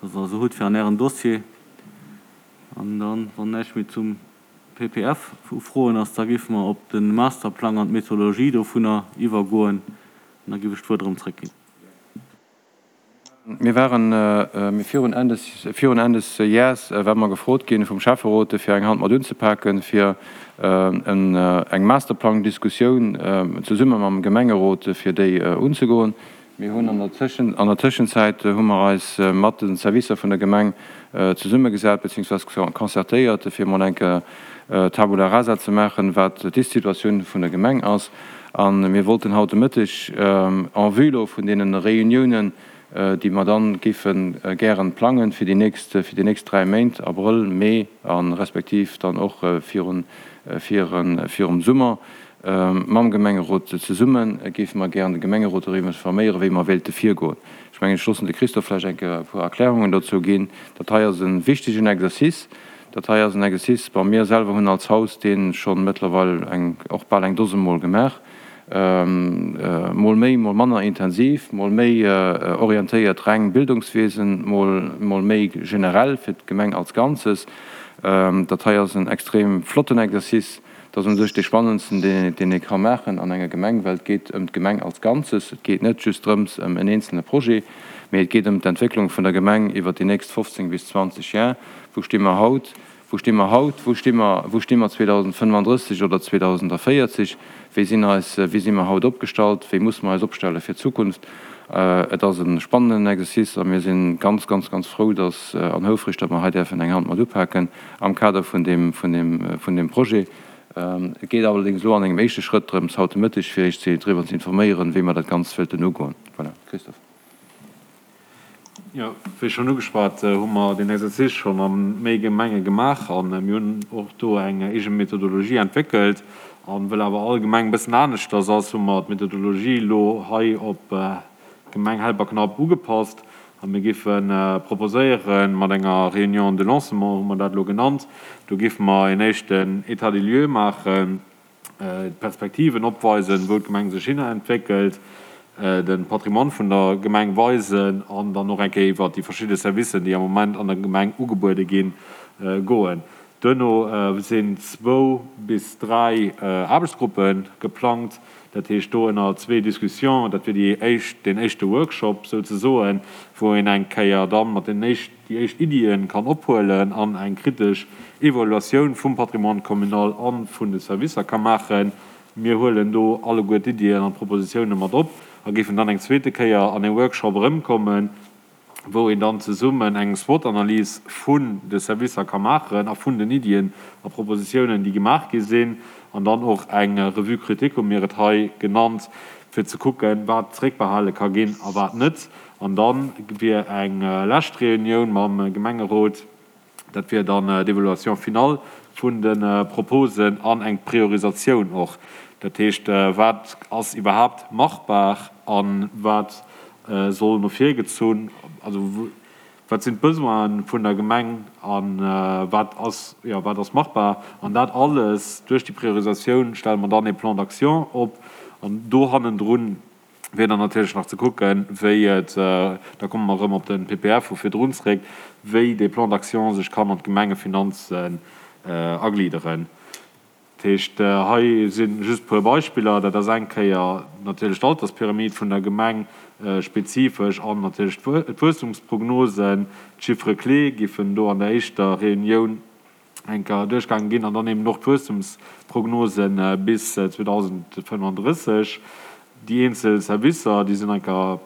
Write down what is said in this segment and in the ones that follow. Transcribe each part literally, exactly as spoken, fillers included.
Dass Der se hutt fir an Ären Dossier. An dann, wann näischt méi zum P P F u Froen ass, da géife mer op de Masterplang an d'Methodologie dovunner iwwergoen. An da géif ech d'Wuert erëm zréckginn. Mir waren mir virun Enn des virun Enn des Jäers ware mer gefrot ginn vum Schäfferot, fir eng Hand mat unzepaken, fir en eng Masterplang-Diskussioun zesumme mam Gemengerot, fir déi unzegoen. Mir hunn an der Tëschen an der Tëschenzäit hu mer eis mat de Servicer vun der Gemeng zesummegesat beziehungsweise concertéiert, fir mol eng Kéier Tabula rasa ze maachen, wat d'Ist-Situatioun vun der Gemeng ass. A mir wollten haut de Mëtteg en vue lo vun deene Reuniounen, déi mer dann géife gären plangen fir déi nächst fir déi nächst dräi Méint, Abrëll, Mee a respektiv dann och virun virum Summer, mam Gemengerot zesummen, géife mer gären de Gemengerot doriwwer informéieren, wéi mer wéilte virgoen. Ech mengen, ech loossen de Christophe vläicht eng Kéier e puer Erklärungen dozou ginn. Dat hei ass e wichtegen Exercice. Dat hei ass en Exercice, bon, mir selwer hunn als Haus dee scho mëttlerweil eng och bal eng Dose Mol gemaach, mol méi, mol manner intensiv, mol méi orientéiert reng Bildungswiesen, mol mol méi generell fir d'Gemeng als Ganzes. Dat hei ass en extrem flotten Exercice. Dat ass u sech dee spannendsten, deen deen ee ka maachen an enger Gemeng, well et geet ëm d'Gemeng als Ganzes. Et geet net just drëms ëm en eenzelne Projet, mee et geet ëm d'Entwécklung vun der Gemeng iwwer déi nächst fofzéng bis zwanzeg Jar. Wou sti mer haut? Wou sti mer haut? Wou sti mer, wou sti mer zweedausendfënnefandrësseg oder zweedausendvéierzeg? Wéi sinn eis, wéi si mer haut opgestallt? Wéi musse mer eis opstelle fir d'Zukunft? Et ass e spannenden Exercice a mir si ganz, ganz, ganz frou, dass an houfreg, datt mer hei däerfen eng Hand mat upaken am Kader vun deem, vun deem, vun deem Projet. Et geet allerdéngs elo an engem éischte Schrëtt drëms, haut de Mëtteg fir Iech ze driwwer ze informéieren, wéi mer dat Ganzt wëllten ugoen. Voilà. Christophe. Jo, wéi schonn ugeschwat, hu mer deen Exercice schonn a méi Gemenge gemaach a mir hunn och do eng eege Methodologie entwéckelt. A well awer all Gemeng e bëssen aneschters ass, hu mer d'Methodologie elo hei op d'Gemeng Helperknapp ugepasst. A mir géife proposéieren, mat enger Réunion de lancement, hu mer dat elo genannt, do géife mer een éischten État des lieux maachen, d'Perspektiven opweisen, wou d'Gemeng sech hinentwéckelt, de Patrimoine vun der Gemeng weisen an dann och eng Kéier iwwert déi verschidde Servicen, déi am Moment an der Gemeng ugebuede ginn, goen. Duerno sinn zwou bis dräi Aarbechtsgruppe geplangt, dat heescht do ënner zwee Discussions, dat wier déi éischt, deen éischte Workshop souzesoen, wou een eng Kéier da mat den éischt, déi éischt Iddie kann ophuelen an eng kritesch Evaluatioun vum Patrimoine communal a vun de Servicer ka maachen. Mir huelen do alleguer d'Iddien an d'Propositioune mat op a géifen dann eng zweete Kéier an ee Workshop erëmkommen, wou een dann zesummen eng SWOT-Analys vun de Servicer ka maachen a vun den Iddien a Propositiounen, déi gemaach gi sinn, an dann och eng Revue critique, hu mir et hei genannt, fir ze kucken, wat zréckbehale ka ginn a wat net. An da wier eng lescht Reunioun mam Gemengerot. Dat wier dann d'Évaluation finale vun de Proposen an eng Priorisatioun och. Dat heescht, wat ass iwwerhaapt machbar a wat soll no vir gezunn, also wat sinn d'Besoine vun der Gemeng a wat ass, jo, wat ass machbar. An dat alles, duerch déi Priorisatioun stelle mer dann ee Plan d'action op an do hannendrun wier dann natierlech nach ze kucken, wéi et, da komme mer erëm op de P P F vu virdrun zréck, wéi dee Plan d'action sech kann an d'Gemengefinanzen aglidderen. Dat heescht, hei si just e puer Beispiller. Dat ass eng Kéier natierlech d'Alterspyramid vun der Gemeng spezifesch an natierlech d'Wuesstumsprognosen. D'Chiffres clés giffen do an der éischter Reunioun eng Kéier duerchgaange ginn an dann eben och d'Wuesstumsprognose bis zweedausendfënnefandrësseg. Déi eenzel Servicer, déi sinn eng Kéier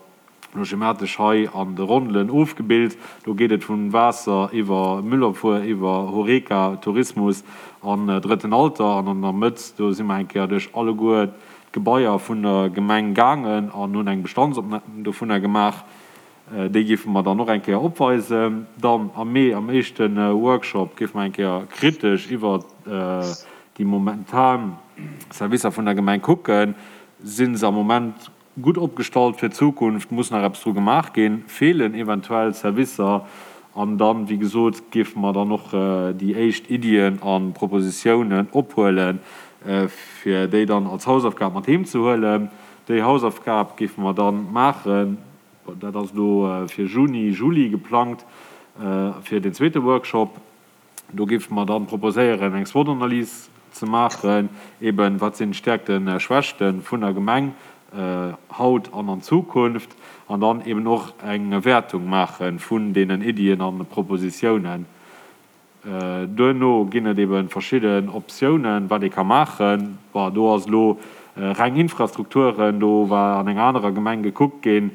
elo schematesch hei an de Rondelen ofgebilt. Do geet et vun Waasser iwwer Müllabfuhr, iwwer Horeca, Tourismus an Drëtten Alter. An an der Mëtt, do si mer eng Kéier duerch alleguer d'Gebaier vun der Gemeng gaangen an hunn eng Bestandsopnam dovunner gemaach. Déi géife mer dann och eng Kéier opweisen. Dann am Mee, am éischte Workshop, géife mer eng Kéier kritesch iwwer déi momentan Servicer vun der Gemeng kucken. Si se am Moment gutt opgestallt fir d'Zukunft? Muss nach eppes dru gemaach ginn? Feelen eventuell Servicer? An dann, wéi gesot, géife mer dann och déi éischt Iddien a Propositiounen ophuelen, fir déi dann als Hausaufgab mat heem ze huelen. Déi Hausaufgab géife mer dann maachen Dat ass elo fir Juni, Juli geplangt fir deen zweete Workshop. Do géife mer dann proposéieren, eng SWOT-Analys ze maachen, eben, wat sinn d'Stäerkten, Schwächte vun der Gemeng haut an an Zukunft, an dann eben och eng Wäertung maache vun deenen Iddien a Propositiounen. Duerno ginn et ebe verschidden Optiounen, wat ee ka maachen. Bon, do ass elo reng Infrastrukturen, do war an enger anerer Gemeng gekuckt ginn,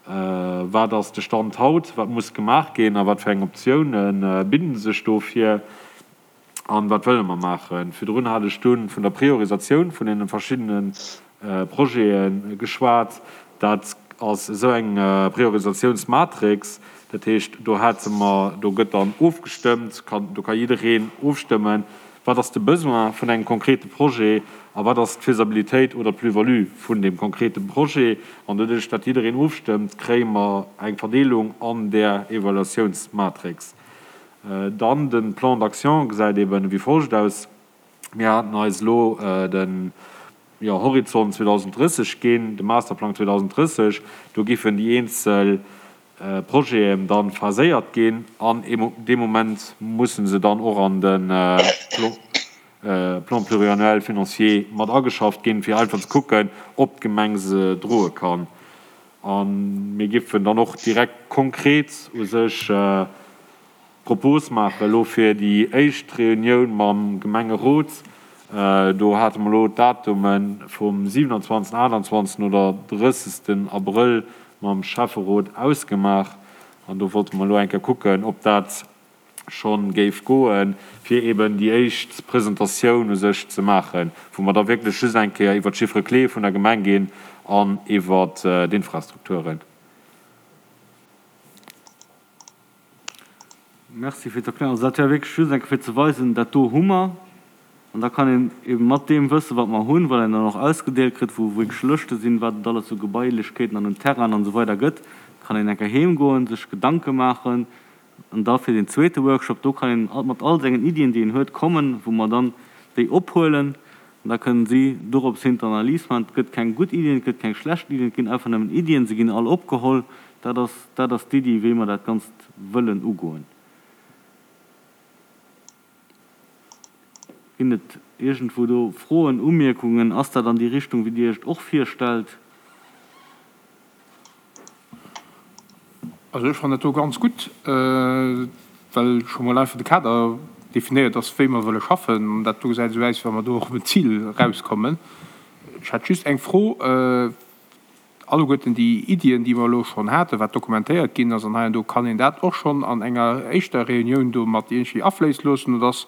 wat ass de Stand haut, wat muss gemaach ginn a wat fir eng Optioune bidden sech dofir an wat wëlle mer maachen. Virdrun hat ech dunn vun der Priorisatioun vun deene verschiddene Projete geschwat. Dat ass esou eng Priorisatiounsmatrix. Dat heescht, do hate mer, do gëtt dann ofgestëmmt, kann, do ka jiddereen ofstëmmen, wat ass de Besoin vun engem konkrete Projet a wat ass d'Faisabilitéit oder d'Plus-value vun deem konkrete Projet. An doduerch, datt jiddereen ofstëmmt, kréie mer eng Verdeelung an där Evaluatiounsmatrix. Dann de Plan d'action gesäit eben wéi folgt aus. Mir haten eis elo de Horizont zweedausenddrësseg ginn, de Masterplang zweedausenddrësseg. Do giffen déi eenzel Projeten dann phaséiert ginn an dee Moment mussen se dann och an de Plan pluriannuel financier mat ageschafft ginn, fir einfach ze kucken, ob d'Gemeng se droe kann. A mir giffen dann och direkt konkret u sech Propose maachen elo fir déi éischt Reunioun mam Gemengerot. Do hate mer elo d'Datume vum siwenanzwanzegsten, aachtanzwanzegsten oder drëssegsten Abrëll mam Schäfferot ausgemaach. An do wollte mer elo eng Kéier kucken, ob dat scho géif goen, fir eeben déi éischt Presentatioun u sech ze maachen, wou mer da wierklech just eng Kéier iwwert d'Chiffres clés vun der Gemeng ginn an iwwert d'Infrastrukturen. Merci fir d'Erklärung. Also dat war wierklech just eng Kéier fir ze weisen, dat do hu mer. An da kann een ebe mat deem Wësse wat mer hunn, wat een dann och ausgedeelt kritt, wou wierklech Lëschte sinn, wat et alles u Gebailechkeeten an un Terrainen an esou weider gëtt, kann een eng Kéier heem goen, sech Gedanke maachen an da fir deen zweete Workshop, do kann een mat all sengen Iddien, déi een huet, kommen, wou mer dann déi ophuelen an da kënnen si dorops hin d'Analys maachen. Et gëtt keng gutt Iddien, et gëtt keng schlecht Iddien, et ginn einfach nëmmen Iddien, se ginn all opgeholl. Dat ass, dat ass d'Iddi, wéi mer dat Ganzt wëllen ugoen. Ginn et iergendwou do Froen, Umierkungen? Ass dat an déi Richtung, wéi Dir Iech et och virstellt? Also ech fannen dat do ganz gutt, well scho mol einfach de Kader definéiert ass, wéi mer wëlle schaffen. An dat do gesäit esou aus, wéi wa mer do och op en Zil erauskommen. Ech hätt just eng Fro. Alleguerten déi Iddien, déi mer elo schonn haten, wat dokumentéiert ginn ass an hei an do, kann een dat och schonn an enger éischter Reunioun do mat iergendwéi afléisse loossen oder ass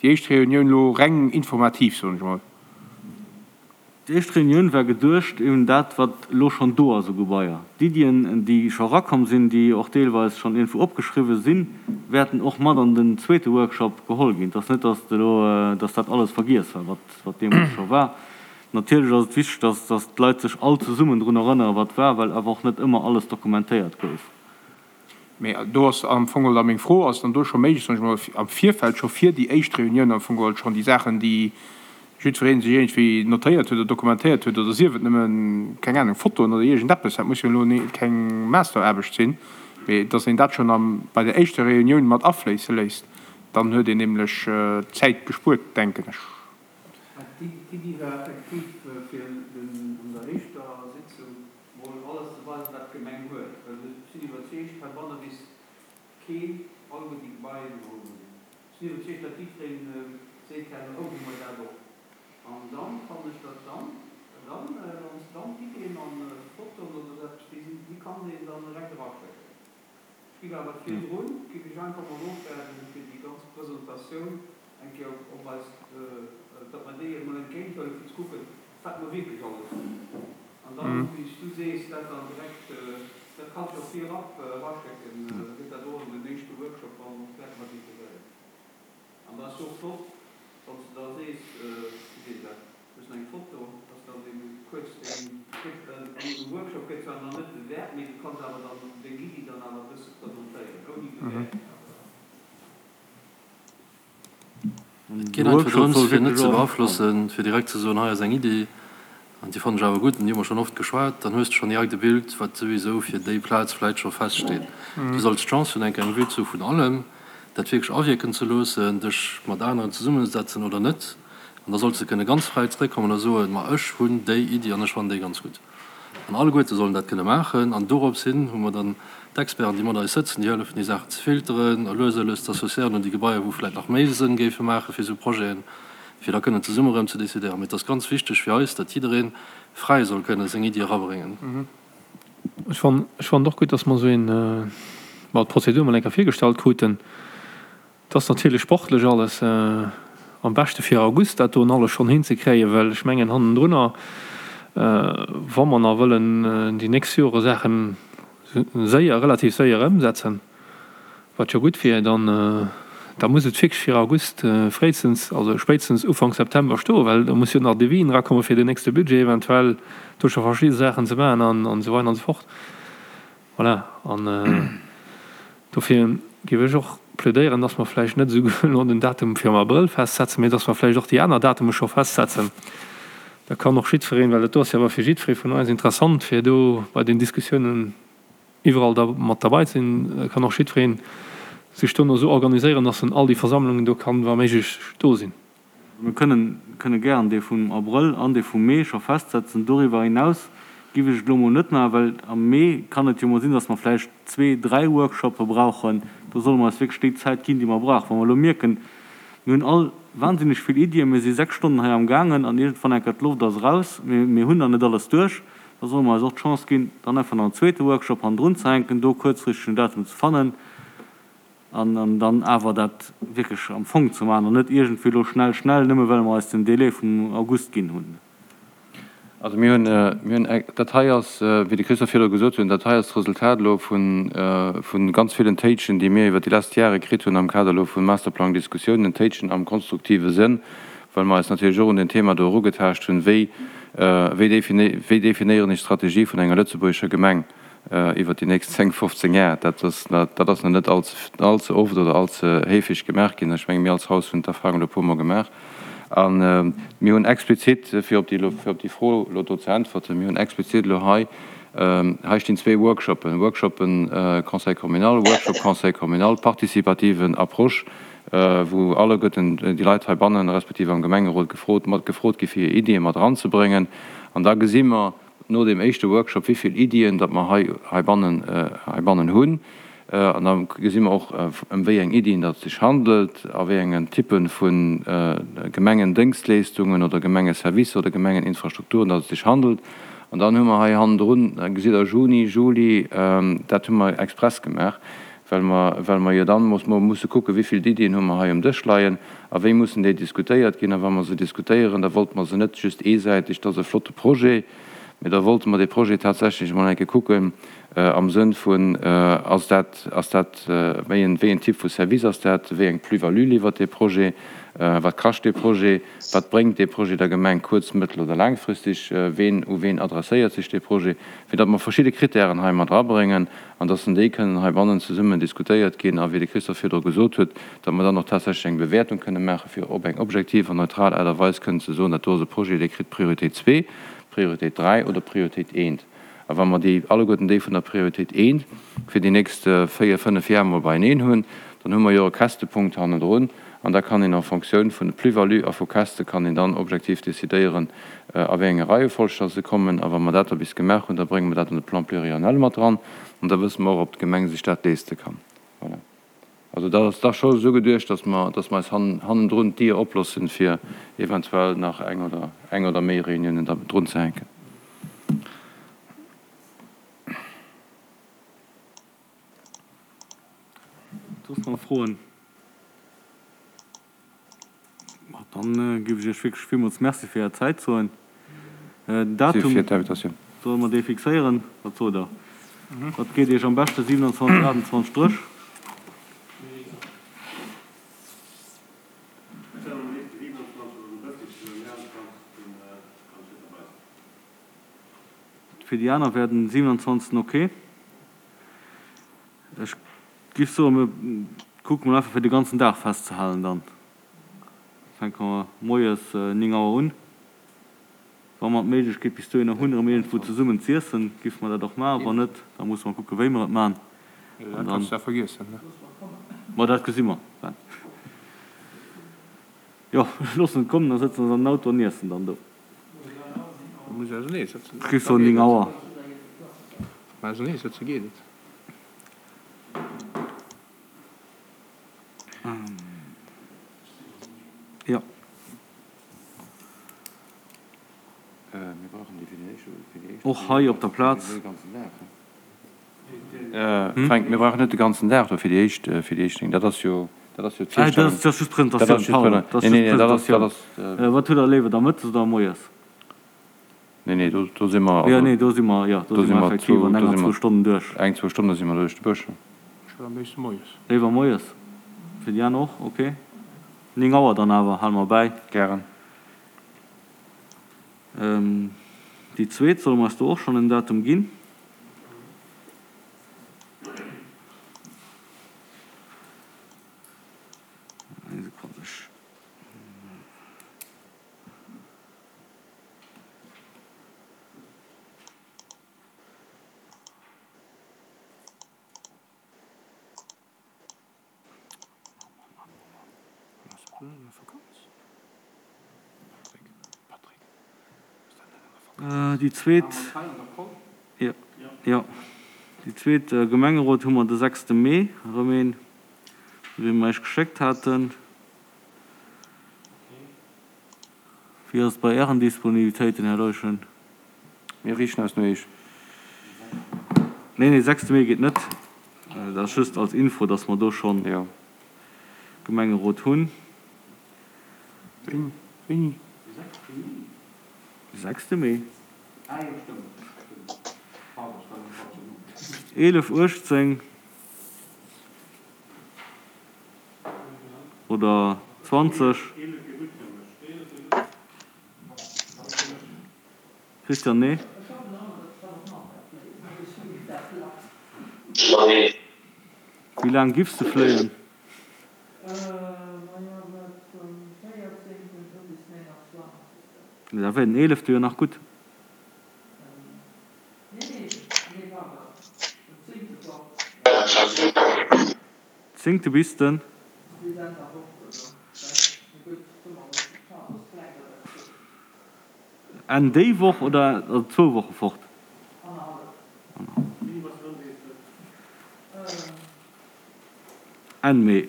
déi éischt Reunioun elo reng informativ, soen ech emol? Déi éischt Reunioun war geduecht, eben dat, wat elo schonn do ass u Gebaier. D'Iddien, déi scho erakomm sinn, déi och deelweis schonn iergendwou opgeschriwwen sinn, wäerten och mat an den zweete Workshop geholl ginn. Et ass net, dass elo, dass dat alles vergiess war, wat, wat deemools scho war. Natierlech ass et wichteg, dass dass d'Leit sech all zesummen drun erënneren, wat war, well awer och net ëmmer alles dokumentéiert gouf. Mee do ass am Fong geholl da meng Fro, Ass et dann do scho méiglech, soen ech mol, am Virfeld scho fir déi éischt Reunioun am Fong geholl schonn déi Saachen, déi jiddweree sech iergendwéi notéiert huet oder dokumentéiert huet, oder sief et nëmmen, keng Anung, Fotoen oder iergendeppes, dat muss jo elo keng Masteraarbecht sinn, mee dass een dat schonn am bei der éischter Reunioun mat afléisse léisst, dann huet een nämlech Zäit gespuert, denken ech. D'Iddi war effektiv, fir an der éischter Sitzung mol alles ze weisen, wat d'Gemeng huet. Well ech sinn iwwerzeegt, heibanne weess keen alleguer déi Gebaien, déi mer hunn. Ech sinn iwwerzeegt, datt jiddweree seet herno, oh, hu mer dat och. An dann fannen ech, datt dann, dann, wann s de dann d'Iddien an Fotoen oder esou eppes, déi sinn, déi kann een dann direkt eraschécken. Ech giff awer virdrun, giff ech einfach mol ofwaarden, fir déi ganz Presentatioun eng Kéier op eis, datt mer déi emol entgéint huelen, fir ze kucken, wat mer wierklech alles hunn. An dann, wéi s du sees, dat dann direkt, dat kanns jo virab eraschécken, da gëtt dat och an den éischte Workshop dann och direkt mat integréiert. An da ass jo och flott, wann s de da sees, wéi seet een dat, du hues eng Foto, dass dann dee kuerz deng, an engem Workshop gëtt zwar nach net bewäert, mee du kanns awer dann deng Iddi dann awer e bësse presentéieren, ouni Bewäertung awer. Et geet einfach drëms, fir net ze beaflossen, fir direkt ze soen, hei ass eng Iddi. An an déi fannen ech awer gutt, an déi hu mer schonn oft geschwat, dann hues de schonn direkt e Bild, wat souwisou fir déi Plaz vläicht scho feststeet. Du solls d'Chance hunn, eng Kéier eng Vue ze hu vun allem, dat wierklech awierken ze loossen, dech mat aneren zesummenzesetzen oder net, an da solls de kënne ganz fräi zréckkommen a soen, ma ech hunn déi Iddi an ech fannen déi ganz gutt. An alleguerte sollen dat kënne maachen. An dorops hin hu mer dann d'Experten, déi mat eis sëtzen, déi hëllefen, déi Saachen ze filteren a lues a lues z'associéieren un déi Gebaier, wou vläicht nach méi Sënn géife maache fir esou Projeten, fir da kënnen zesumme erëm ze decidéieren. Mee et ass ganz wichteg fir eis, datt jidderee fräi soll kënne seng Iddi erabréngen. Ech fannen, ech fannen och gutt, datt mer esou een, bon, d'Prozedur mol eng Kéier virgestallt kruten. Et ass natierlech sportlech alles am beschte fir August dat doen alles schonn hinzekréien, well ech mengen hannendrunner, wa mer nach wëllen déi nächst Jore Saache séier, relativ séier ëmsetzen, wat jo gutt wier, dann da muss et wierklech fir August fréistens, also spéitstens Ufank September stoen, well da muss jo nach Devisen erakomme fir den nächste Budget eventuell do scho verschidde Saachen ze maachen an esou weider an esou fort. Voilà, an dofir géif ech och plädéieren, dass mer vläicht net esou elo den Datum fir am Abrëll festsetzen, mee dass mer vläicht och déi aner Datume scho festsetzen. Da kann och jiddwereen, well dat do ass jo awer fir jiddweree vun eis interessant, fir do bei den Diskussiounen iwwerall da mat derbei ze sinn, da kann och jiddweree sech dono esou organiséieren, dass en all déi Versammlungen do kann wa méiglech do sinn. Mir kënnen kënne gären dee vum Abrëll an dee vum Mee scho festsetzen. Doriwwer hinaus giff ech et elo mol net maachen, well am Mee kann et jo mol sinn, dass mer vläicht zwee, dräi Workshoppe brauchen. Do solle mer eis wierklech déi Zäit ginn, déi mer brauchen. Wa mer elo mierken, mir hunn all wahnsinneg vill Iddien, mir si sechs Stonnen hei amgaangen an iergendwann enker d'Loft ass eraus, mee mir hunn nach net alles duerch, da solle mer eis och d'Chance ginn, dann einfach nach en zweete Workshop hannendrun ze hänken, do kuerzfristeg en Datum ze fannen an dann awer dat wierklech am Fong ze maachen an net iergendwéi elo schnell, schnell, nëmme well mer eis den Délai vum August ginn hunn. Also mir hunn, mir hunn, dat hei ass, wéi de Christophe virdru gesot huet, dat hei ass d'Resultat elo vu ganz villen Téitschen, déi mir iwwert déi lescht Jahre kritt hunn am Kader elo vu Masterplang-Diskussiounen, Téitschen am konstruktive Sënn, well mer eis natierlech och un deen Thema do erugetaascht hunn, wéi, wéi wéi definéieren ech d'Strategie vun enger lëtzebuergescher Gemeng iwwert déi nächst zéng, fofzéng Jar. Dat ass, dat ass nach net all ze oft oder all ze héifeg gemaach ginn. Ech menge mir als Haus hunn d'Erfahrung elo e puermol gemaach. A mir hunn explizit, fir op déi, fir op déi Fro elo do ze äntwerten, mir hunn explizit elo hei, hei stinn zwee Workshoppen, Workshoppen Conseil communal, Workshop Conseil communal, participative Approche, wou alleguerten déi Leit heibannen, respektiv am Gemengerot gefrot, mat gefrot gi fir hir Iddie mat eranzebréngen. An da gesi mer no deem éischte Workshop, wéi vill Iddien datt mer hei heibannen, heibannen hunn. An da gesi mer och, ëm wéi eng Iddien datt et sech handelt, a wéi engen Typpe vu Gemengendéngschtleeschtungen oder Gemengeservicer oder Gemengeninfrastrukturen datt et sech handelt. An dann hu mer hei hannendrun, gesitt Der, Juni, Juli, dat hu mer express gemaach, well mer, well mer jo dann muss, musse kucken, wéi vill Iddien hu mer hei um Dësch leien a wéi mussen déi diskutéiert ginn. A wa mer se diskutéieren, da wollte mer se net just eesäiteg, dat ass e flotte Projet, mee da wollte mer dee Projet tatsächlech emol eng Kéier kucken am Sënn vun, ass dat, ass dat, wéi en, wéi en Typ vu Service ass dat, wéi eng Plus-value liwwert dee Projet, wat kascht dee Projet, wat bréngt dee Projet der Gemeng kuerz-, mëttel oder laangfristeg, ween, u ween adresséiert sech dee Projet, fir datt mer verschidde Kritären hei mat erabréngen an datt déi kënnen heibannen zesummen diskutéiert ginn a wéi de Christophe virdru gesot huet, datt mer dann och tatsächlech eng Bewäertung kënne maachen, fir op eng objektiv an neutral Aart a Weis kënnen ze soen, dat do ass e Projet, dee kritt Prioritéit zwee, Prioritéit dräi oder Prioritéit eent. A wa mer déi alleguerten déi vun der Prioritéit eent fir déi nächst véier, fënnef Jar emol beieneen hunn, dann hu mer jo e Kästepunkt hannendrun an da kann een en Fonctioun vun de Plus-value a vu Käste kann een dann objektiv decidéieren, a wéi enge Reiefolg dass se kommen. A wa mer dat da bis gemaach hunn, da brénge mer dat an de Plan pluriannuel mat dran an da wësse mer och, ob d'Gemeng sech dat leeste kann. Voilà. Also dat ass da scho esou geduecht, dass mer, dass mer eis hannendrun d'Dier oploossen, fir eventuell nach eng oder eng oder méi Réuniounen da drunzehänken. Soss nach Froen? Ma dann géif ech Iech wierklech villmools Merci fir Är Zäit soen. Den Datum, solle mer dee fixéieren? Wat sot Der? Wat geet Iech am beschten, siewenundzwanzeg, aachtundzwanzeg, drësch? Fir déi aner wär den siewenundzwanzegsten ok. Ech giff soen, mir kucke mol einfach fir de ganzen Dag festzehalen dann. Fänke mer moies néng Auer un. Wa mer d'Méiglechkeet bis dohinner hunn, erëm iergendwou zesummen z'iessen, géife mer dat och maachen. Wann net, da musse mer kucken, wéi mer et maachen. Dat kanns de vergiessen, ne? Ma dat gesi mer dann. Jo, loossen et kommen, da sëtzen se an den Auto an iessen dann do. Da muss ausernee sëtzen. Kriss soen néng Auer. Wa mer ausernee sëtze geet et. Jo. Och hei op der Plaz. Fränk, mir brauchen net de ganzen Dag do fir déi éischt, fir déi éischt Ding. Dat ass jo, dat ass jo d'Virstellung. Dat ass just d'Presentatioun, pardon. Dat ass just d'Presentatioun. Wat hutt Der léiwer da, mëttes oder moies? Nee, nee, do, do si mer, Jo, nee, do si mer, jo, do si mer effektiv an enger, zwou Stonnen duerch. Eng, zwou Stonne si mer duerch de Bësch. Ech wëll am léifste moies. Léiwer moies? Fir déi aner och? Ok. Néng Auer dann awer, hale mer bäi. Gären. Déi zweet, solle mer eis do och schonn en Datum ginn? Eng Sekonn, ech. Déi zweet, jo, déi zweet Gemengerot hu mer de sechste Mee erëm een, wéi mer Iech geschéckt haten. Wéi ass et bei Ären Disponibilitéiten, Här Leuschen? Mir riichten eis no Iech. Nee, nee, sechste Mee geet net. Dat ass just als Info, dass mer do schonn Gemengerot hunn. Wéini? De sechste Mee. Eelef, uechtzéng oder zwanzeg. Christian, Nee? Wéi laang giffs de fléien? Da wär den eelefte jo nach gutt. Zéngte bis den. Enn déi Woch oder also zwou Woche fort? Enn Mee.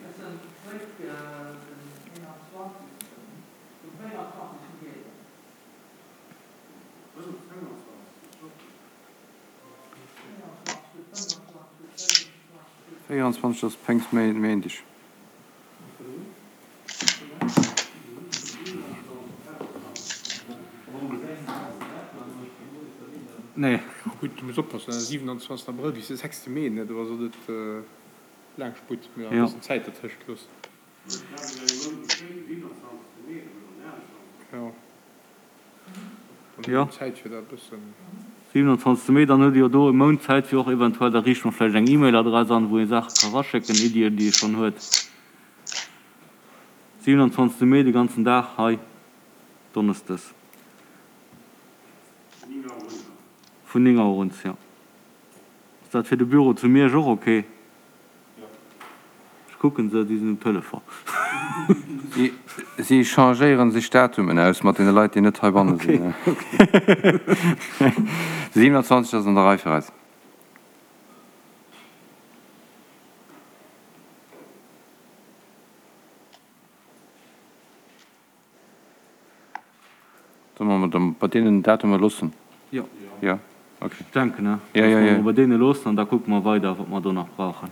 Véieranzwanzeg ass Péngstméindeg. Nee. Gutt, du muss oppassen, siwenanzwanzeg Abrëll bis de sechste Mee, ne, do ass et net laang Sputt, mee e bëssen Zäit dertëscht loossen. Jo, dann huet een Zäit fir dat e bëssen. Siewenundzwanzegste Mee, dann huet ee jo do e Mount Zäit fir och eventuell, da riicht mer vläicht eng E-Mail-Adress an, wou ee Saache ka raschécken, Iddien, déi ee schonn huet. Siewenundzwanzegste Mee, de ganzen Dag hei, donneschdes. Vun néng Auer un, jo. Ass dat fir de Büro zu Miersch och ok? Ech kucken se, déi sinn um Telefon. Si changéieren sech Datumen aus mat deene Leit, déi net heibanne sinn. De siewenundzwanzeg ass an der Rei fir eis. Solle mer et bei deenen Datumer loossen? Jo. Jo, ok. Ech denken, Ja, ja, dass mer ja. et bei deene loossen an da kucke mer weider, wat mer do nach brauchen.